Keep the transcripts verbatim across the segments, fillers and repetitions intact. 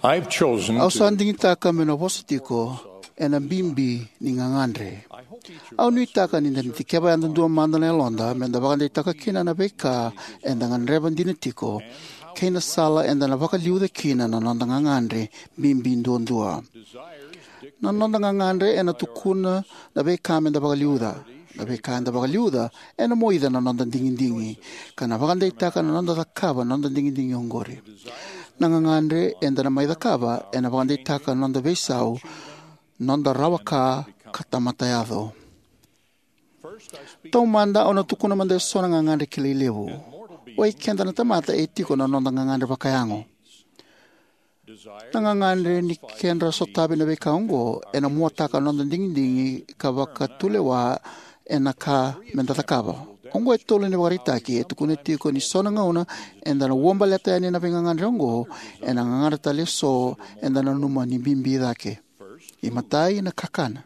I've chosen Au sa to digitaka meu na vosa tiko ena bibi ni gagadre. Au nuitaka ni da na dikeva yadudua mada na yaloda me da vakadeitaka kina na veika eda gadreva dina tiko kei na sala eda na vakaliuca kina na noda gagadre bibi duadua. Na noda gagadre ena tukuna na veika me da vakaliuca. Na veika eda vakaliuca ena moica na noda digidigi ka na vakadeitaka na noda cakava na noda digidigi oqori. Na gagadre eda na mai cakava ena vakadeitaka na noda veisau, noda rawa ka, ka tamata yaco. Taumada au na tukuna mada eso na gagadre kilai levu. Oi keda na tamata e tiko na noda gagadre vakayago. Na gagadre ni kedra sotavi na veika oqo ena muataka na noda digidigi ka vakatulewa ena ka me da cakava. Oqo e tolu na ivakaraitaki e tukuna tiko ni so na gauna eda na uabaleta yani na veigagadre oqo ena gagadre tale eso eda nanuma ni bibi cake. Imatai, na kakana.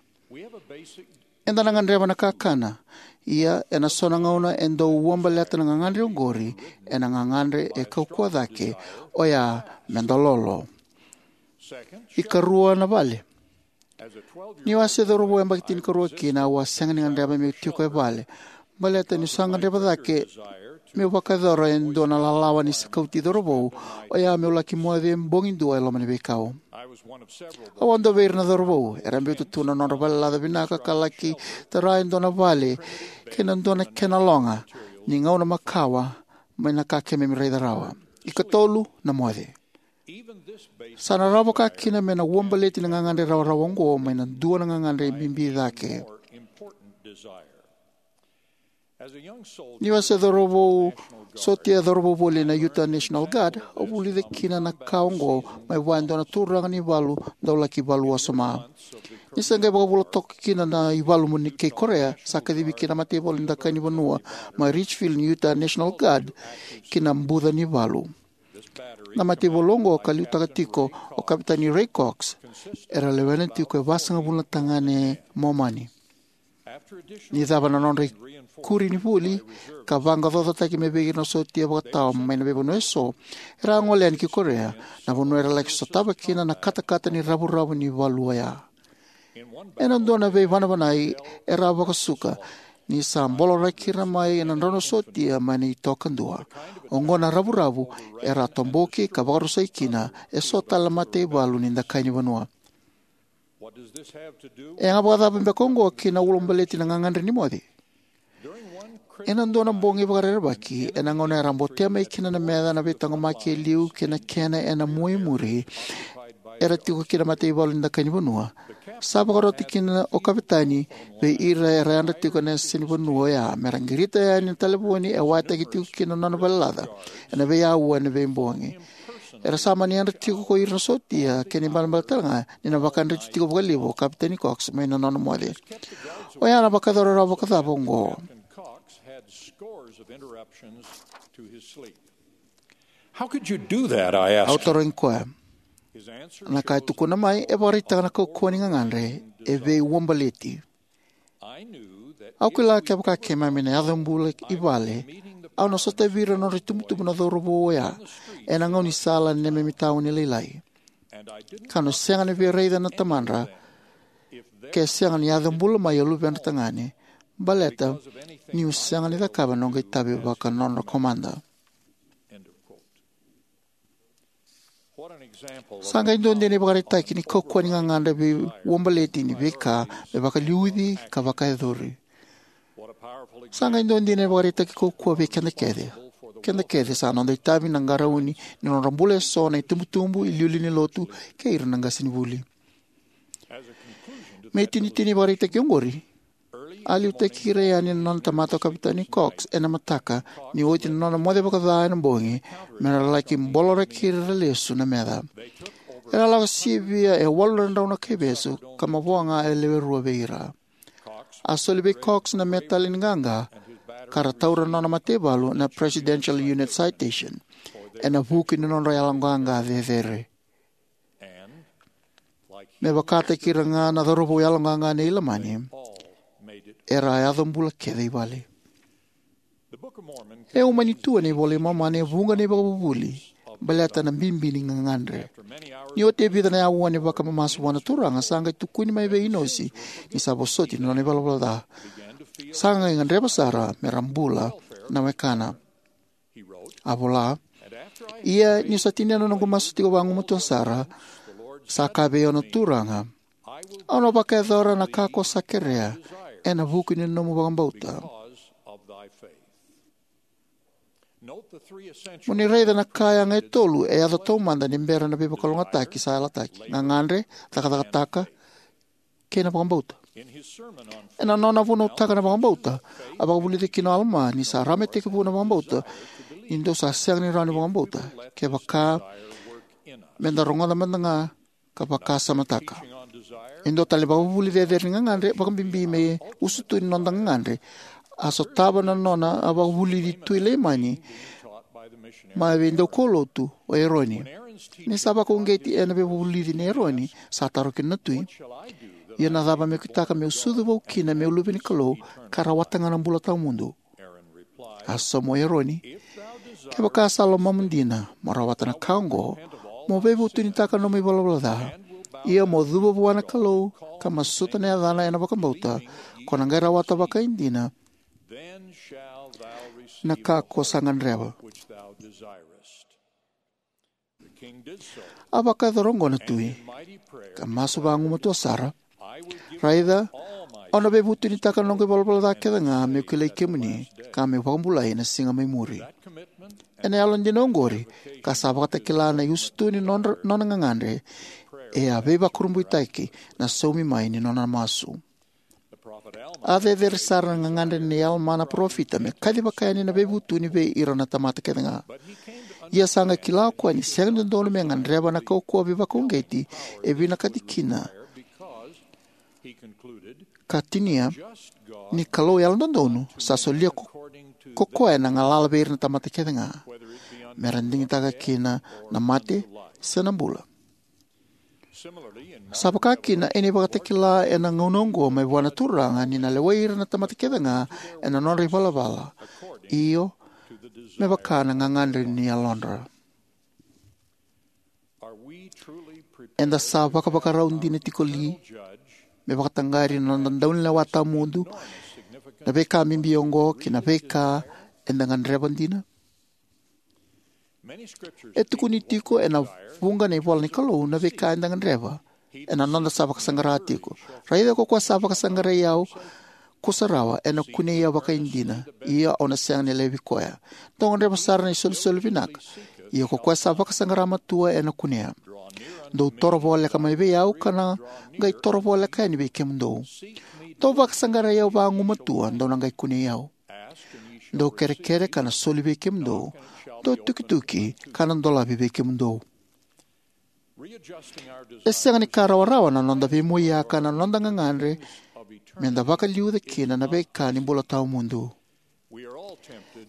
Eda na gadreva na kakana. Ia, ena so na gauna e dau uabaleta na gagadre oqori ena gagadre e kaukauwa cake, oya me da lolo. Ikarua, na vale. Niu a se cauravou yabaki tinikarua kina, au a sega ni gadreva meu tiko e vale. Baleta niu sa gadreva cake meu vakayacora e dua na lalawa ni sikauti cauravou, oya meu laki moce bogi dua e loma ni veikau. Au a dua vei ira na cauravou era biuta tu na nodra valelaca vinaka ka laki tara e dua na vale kei na dua na kena loga ni gauna makawa mai na ka keimami raica rawa. Ikatolu, na moce. Sa na rawa vaka kina me na uabaleti na gagadre rawarawa oqo mai na dua na gagadre bibi cake. Niu a se cauravou sotia, cauravou voli na Utah National Guard, au vulica kina na ka oqo mai vua e dua na turaga ni valu dau laki valu wasoma. Ni se qai vakavula toka kina na ivalu mai kei Korea, sa kacivi kina na mataivalu ni dakai ni vanua mai Richfield ni Utah National Guard ki na buca ni valu. Na mataivalu oqo ka liutaka tiko o Kavetani Ray Cox era lewena tiko e vasagavulu na tagane Momani. Ni cava na nodra ikuri ni vuli ka vaqaqacotaki mai vei ira na sotia vakatawa mai na veivanua eso, era a gole yani ki Korea, na vanua era laki sotava kina na katakata ni ravuravu ni valu oya. Ena dua na veivanavanai era a vakasuka ni sa boloraki ira mai na drau na sotia mai na itoka dua. Oqo na ravuravu era a toboki ka vakarusai kina eso tale na mataivalu ni dakai ni vanua. E yaga vakacava beka oqo ki na ulabaleti na gagadre ni moce? Ena dua na bogi vakarerevaki, ena gauna era botea mai kina na meca na veitaqomaki e liu kei na kena ena mua i muri era tiko kina na mataivalu ni dakai ni vanua, sa vakarota kina o Kavetani vei ira era yadra tiko ena yasa ni vanua oya me ra qirita yani na talevoni e wayataki tiko kina na nona valelaca ena veiauwa ena veibogi. Era sa mani yadra tiko ko ira na sotia, kena ibalebale tale ga ni na vakayadrati tiko vakalevu o Kavetani Cox mai na nona moce. Oya na vakayacora rawa vakacava oqo? How could you do that? I asked. Au tarogi koya. Na ka e tukuna mai e vakaraitaka na kaukauwa ni gagadre e veiuabaleti. Au kila kevaka keimami na yaco bula i vale, au na sotavi ira na nodra itubutubu na cauravou oya ena gaunisala ena neimami tauni lailai. Kau na sega ni via raica na tamadra ke sega ni yaco bula mai o luvedra tagane, baleta niu sega ni cakava na noqu itavi vaka nodra komada. Sa qai dua dina na ivakaraitaki ni kaukauwa ni gagadre veiuabaleti ni veika me vakaliuci ka vakayacori. Sa qai dua dina na ivakaraitaki kaukauwa vei keda kece. Keda kece sa noda itavi na qarauni ni nodra bula eso na itubutubu, iliuliu ni lotu, kei ira na qasenivuli. Me itinitini ni ivakaraitaki oqori, a liutaki ira yani na nona tamata o Kavetani Cox ena mataka ni oti na nona moce vakaca ena bogi me ra laki boloraki ira lesu na meca. Era lako sivia e walu na drau na kaivesu ka mavoa ga e lewe rua vei ira. A soli vei Cox na metali ni qaqa ka ra taura na nona mataivalu na Presidential Unit Citation ena vuku ni nodra yaloqaqa cecere. Me vakataki ira ga na cauravou yaloqaqa nei Ilamani, era a yaco bula kece i vale. E umani tu ena iVola i Momani e vuqa na ivakavuvuli baleta na bibi ni gagadre. Ni oti e vica na aua ni vakamamasu vua na Turaga, sa qai tukuni mai vei Inosi ni sa vosoti na nona ivalavala ca. Sa qai gadreva sara me ra bula na wekana. A vola: Ia niu sa tinia na noqu masu tiko vagumatua sara, sa kaya vei au na Turaga: Au na vakayacora na ka ko sa kerea ena vuku ni nomu vakabauta. Mo ni raica na ka yaga e tolu e yaco taumada ni bera na veivakalougatataki sa yalataki: gagadre, cakacakataka, kei na vakabauta. Ena nona vunautaka na vakabauta, a vakavulica kina o Alama ni sa rawa me tekivu na vakabauta ni dou sa sega ni rawa ni vakabauta, kevaka me da rogoca mada ga ka vakasamataka. E dua tale na vakavuvuli cecere ni gagadre, vakabibi me usutu ni noda gagadre, a sotava na nona a vakavulici Tui Leimani mai vei daukaulotu o Eroni. Ni sa vakauqeti ena veivakavulici nei Eroni, sa taro kina na tui: Ia na cava meu kitaka meu sucu vou kina meu luve ni Kalou, ka rawata ga na bula tawamudu? A sauma o Eroni: Kevaka sa lomamu dina mo rawata na ka oqo, mo veivutunitaka nomu ivalavala ca, ia mo cuva vua na Kalou ka masuta na yacana ena vakabauta, ko na qai rawata vakaidina na ka ko sa gadreva. A vakayacora oqo na tui, ka masu vagumatua sara: Raica, au na veivutunitaka na noqu ivalavala ca kece ga meu kilai kemuni, ka meu vakabulai ena siga mai muri. Ena yalodina oqori, ka sa vakatakila na iusutu ni nodra, nona gagadre, e a veivakurabuitaki na saumi mai ni nona masu. A cecere sara na gagadre nei Alama na parofita me kacivaka yani na veivutuni vei ira na tamata kece ga. Ia sa qai kila o koya ni sega ni dodonu me gadreva na kaukauwa veivakauqeti e vinakati kina, ka tinia ni Kalou yalododonu sa solia ko, ko koya na galala vei ira na tamata kece ga, me ra digitaka kina na mate se na bula. Sa vaka kina ena ivakatakila ena gauna oqo mai vua na Turaga ni na lewai ira na tamata kece ga ena nodra ivalavala, io, me vaka na gagadre ni yalodra. Eda sa vakavakarau dina tiko li me vakataqari na noda Daunilewa Tawamudu na veika bibi oqo kei na veika eda gadreva dina? E tukuni tiko ena vuqa na ivola ni Kalou na veika eda gadreva ena noda sa vakasaqara tiko. Raica, ko koya sa vakasaqarai au, kusarawa, ena kunei au vakaidina, ia au na sega ni laivi koya. Dou gadreva sara na isolisoli vinaka. Ia ko koya sa vakasaqara matua ena kunea. Dou toro voleka mai vei au, kau na qai toro voleka yani vei kemudou. Dou vakasaqarai au vagumatua, dou na qai kunei au. Dou kerekere, ka na soli vei kemudou. Dou tukituki, ka na dolavi vei kemudou. E sega ni ka rawarawa na noda veimoiyaka na noda gagadre me da vakaliuca kina na veika ni bula tawamudu.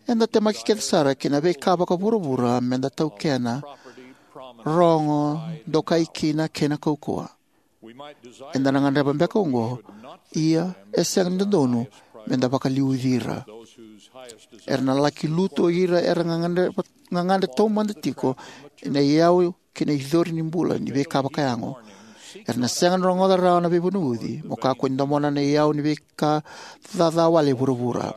Eda temaki kece sara ki na veika vakavuravura me da taukena, rogo, dokai kina kei na kaukauwa. Eda na gadreva beka oqo, ia e sega ni dodonu me da vakaliuci ira. Era na laki lutu o ira era gagadre, gagadre taumada tiko ena iyau kei na icori ni bula ni veika vakayago. Era na sega ni rogoca rawa na veivunauci mo kakua ni domona na iyau ni veika caca wale e vuravura.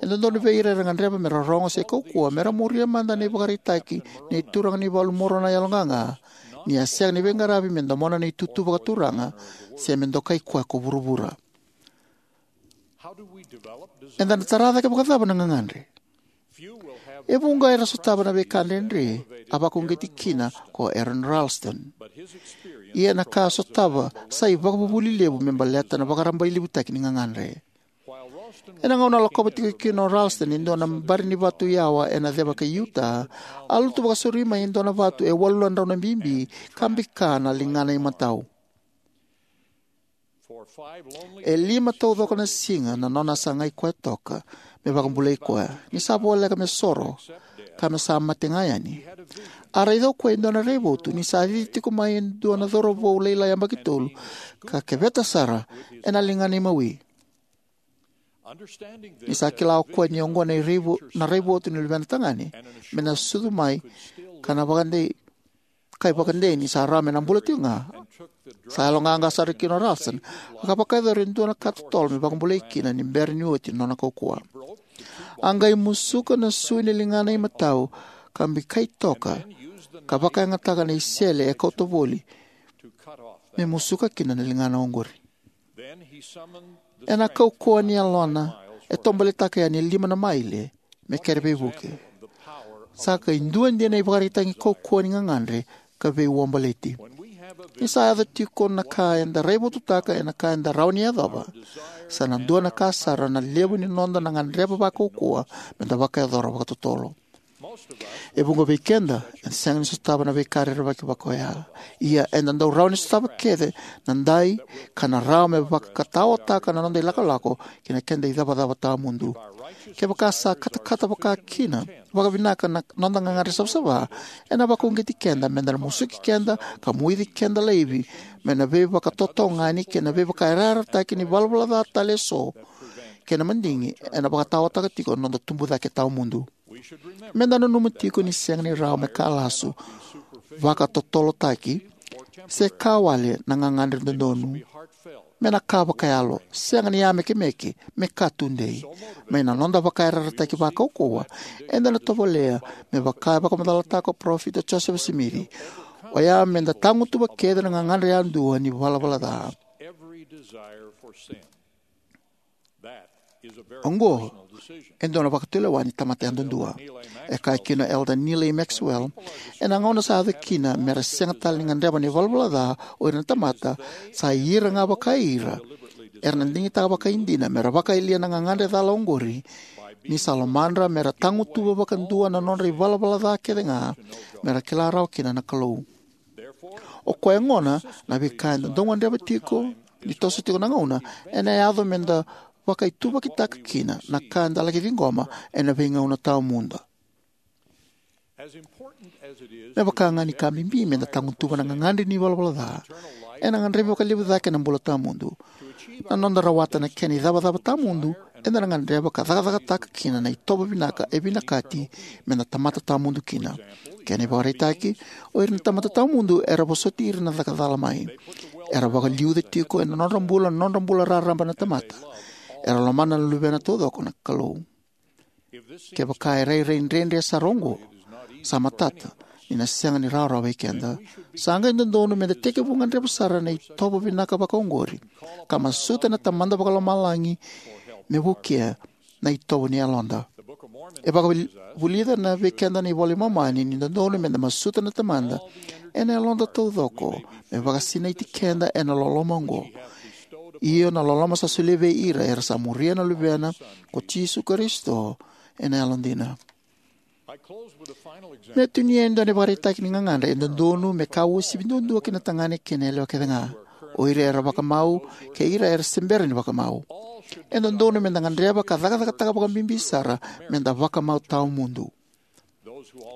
E dodonu vei ira era gadreva me ra rogo se kaukauwa me ra muria mada na ivakaraitaki nei Turaga ni valu Moronai yaloqaqa, ni a sega ni veiqaravi me domona na itutu vakaturaga se me dokai koya ko vuravura. Eda na tara cake vakacava na gagadre? E vuqa era sotava na veika dredre a vakauqeti kina ko Aron Ralston. Ia na ka a sotava sa ivakavuvuli levu me baleta na vakarabailevutaki ni gagadre. Ena gauna a lakova tiko kina o Ralston e dua na bari ni vatu yawa ena ceva kei Utah, a lutu vakasauri mai e dua na vatu e walu na drau na bibi ka bika na ligana imatau. E lima taucoko na siga na nona sagai koya toka me vakabulai koya ni sa voleka me soro ka me sa mate ga yani. A raica o koya e dua na raivotu ni sa cici tiko mai e dua na cauravou lailai yabaki tolu ka keveta sara ena ligana imawi. Ni sa kila o koya ni oqo na iraivo-, na raivotu ni luvena tagane me na sucu mai ka na vakadei, ka ivakadei ni sa rawa me na bula tiko ga. Sa yaloqaqa sara kina o Ralston, ka vakayacora e dua na ka totolo me vakabulai kina ni bera ni oti na nona kaukauwa. A qai musuka na sui ni ligana imatau, ka bikai toka, ka vakayagataka na isele e kauta voli me musuka kina na ligana oqori. Ena kaukauwa ni yalona, e tobolitaka yani e lima na maile me kere veivuke. Sa qai dua dina na ivakaraitaki kaukauwa ni gagadre ka veiuabaleti. Ni sa yaco tiko na ka eda raivotutaka ena ka eda rawa ni yacova, sa na dua na ka sara na levu ni noda na gadreva vakaukauwa me da vakayacora vakatotolo. E vuqa vei keda eda sega ni sotava na veika rerevaki vaka oya. Ia, eda dau rawa ni sotava kece na dai ka na rawa me vakataotaka na noda ilakolako ki na keda icavacava tawamudu. Kevaka sa katakata vaka kina vakavinaka na noda gagadre savasava, ena vakauqeti keda me da na musuki keda ka moici keda laivi mai na veivakatotogani kei na veivakayarayarataki ni valavala ca tale eso kei na madigi ena vakataotaka tiko na noda tubu cake tawamudu. Me da nanuma tiko ni sega ni rawa me ka lasu, vakatotolotaki, se ka wale na gagadre dodonu. Me na ka vakayalo, sega ni yamekemeke, me ka tudei. Mai na noda vakayarayarataki vakaukauwa, eda na tovolea me vaka e vakamacalataka o Parofita Josefa Simici. Oya me da tagutuva kece na gagadre yadua ni valavala ca. Oqo e dua na vakatulewa ni tamata yadudua. E kaya kina o Elder Neal A. Maxwell, ena gauna sa yaco kina me ra sega tale ni gadreva na ivalavala ca o ira na tamata sa ira ga vakaira, era na digitaka vakaidina me ra vakayalia na gagadre cala oqori, ni sa lomadra me ra tagutuva vakadua na nodra ivalavala ca kece ga, me ra kila rawa kina na Kalou. O koya gona, na veika eda dau gadreva tiko ni toso tiko na gauna, ena yaco me da vakaituvakitaka kina na ka eda laki ciqoma ena veigauna tawamudu. Me vaka ga ni ka bibi me da tagutuva na gagadre ni valavala ca, ena gadrevi vakalevu cake na bula tawamudu. Na noda rawata na kena icavacava tawamudu, eda na gadreva ka cakacakataka kina na itovo vinaka e vinakati me da tamata tawamudu kina. Kena ivakaraitaki, o ira na tamata tawamudu era vosoti ira na caka cala mai. Era vakaliuca tiko ena nodra bula na nodra bula raraba na tamata. Era lomana na luvena taucoko na Kalou. Kevaka e rairai dredre sara oqo, sa matata ni na sega ni rawarawa vei keda. Sa qai dodonu me da tekivu gadreva sara na itovo vinaka vakaoqori, ka masuta na Tamada Vakalomalagi me vukea na itovo ni yaloda. E vakavulica na vei keda na iVola i Momani ni dodonu me da masuta na Tamada ena yaloda taucoko, me vakasinaiti keda ena loloma oqo, io na loloma sa solia vei ira era sa muria na Luvena ko Jisu Karisito ena yalodina. Me tinia e dua na ivakaraitaki ni gagadre e dodonu me ka uasivi duadua ki na tagane kei na yalewa kece ga. O ira era vakamau kei ira era se bera ni vakamau. E dodonu me da gadreva ka cakacakataka vakabibi sara me da vakamau tawamudu.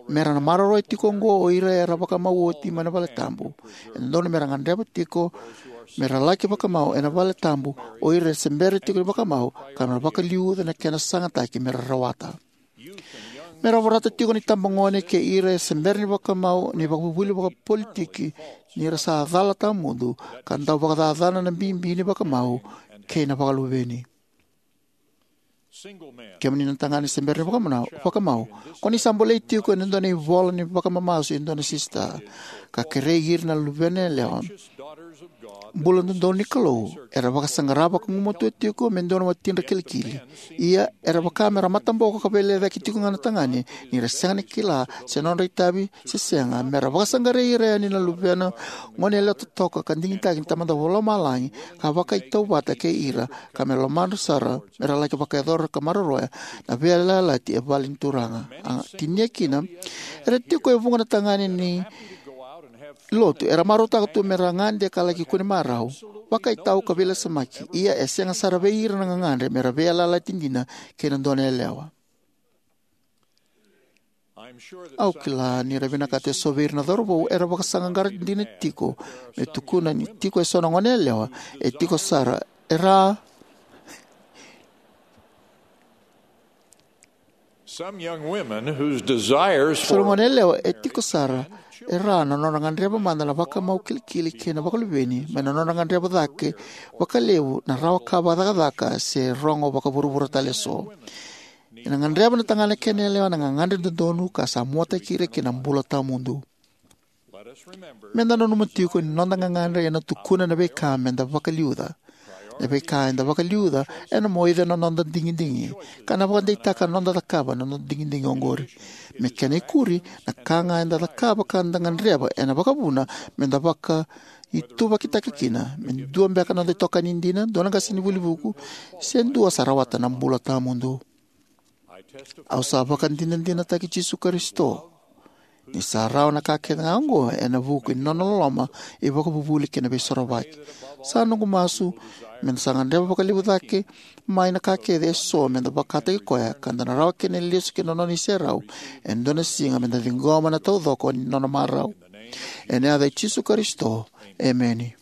Me ra na maroroya tiko oqo o ira era vakamau oti mai na vale tabu. E dodonu me ra gadreva tiko me ra laki vakamau ena vale tabu o ira era se bera tiko ni vakamau, ka me ra vakaliuca na kena sagataki me ra rawata. Me ra vorata tiko na itabagone kei ira e se bera ni vakamau na ivakavuvuli vakapolitiki ni ra sa cala tawamudu ka dau vakacacana na bibi ni vakamau kei na vakaluveni. Kemuni na tagane se bera ni vakamau, vakamau, ko ni sa bolei tiko ena dua na ivola ni vakamamasu e dua na sista, ka kerei ira na luvena yalewa bula dodonu ni Kalou, era vakasaqara vakagumatua tiko me dua na watidra kilikili. Ia, era vaka me ra mataboko ka veilecayaki tiko ga na tagane ni ra sega ni kila se nodra itavi se sega, me ra vakasaqarai ira yani na luvena gone yalewa totoka ka digitaki ni Tamada Vakalomalagi, ka vakaitauvata kei ira, ka me lomadra sara me ra laki vakayacora ka maroroya na veiyalayalati e vale ni Turaga. A tinia kina, era tiko e vuqa na tagane ni lotu era marautaka tu me ra gade ka laki kune marau, vakaitau ka veilasamaki. Ia, e sega sara vei ira na gagadre me ra veiyalayalati dina kei na dua na yalewa. Au kila ni ra vinakata eso vei ira na cauravou era vakasaqaqara dina tiko me tukuna ni tiko eso na gone yalewa e tiko sara, era Some young women whose desires Sa ra for gone yalewa e tiko sara e ra na nodra gadreva mada na vakamau kilikili kei na vakaluveni mai na nodra gadreva cake vakalevu na rawa ka vakacakacaka se rogo vakavuravura tale eso. Ena gadreva na tagane kei na yalewa na gagadre dodonu ka sa muataki ira ki na bula tawamudu. Meda nanuma tiko ni noda gagadre ena tukuna na veika meda vakaliuca. Na veika eda vakaliuca ena moica na noda digidigi ka na vakadeitaka na noda cakava na noda digidigi oqori. Me kena ikuri, na ka ga eda cakava ka da gadreva ena vakavuna meda vakaituvakitaka kina, me dua beka na noda itokani dina, dua na qasenivuli vuku, se dua sa rawata na bula tawamudu. Au sa vakadinadinataki Jisu Karisito ni sa rawa na ka kece ga oqo ena vuku ni nona loloma, ivakavuvuli kei na veisorovaki. Sa noqu masu meda sa gadreva vakalevu cake mai na ka kece eso meda vakataki koya ka da na rawa kina ni lesu ki na nona iserau e dua na siga meda ciqoma na taucoko ni nona marau. Ena yaca i Jisu Karisito, emeni.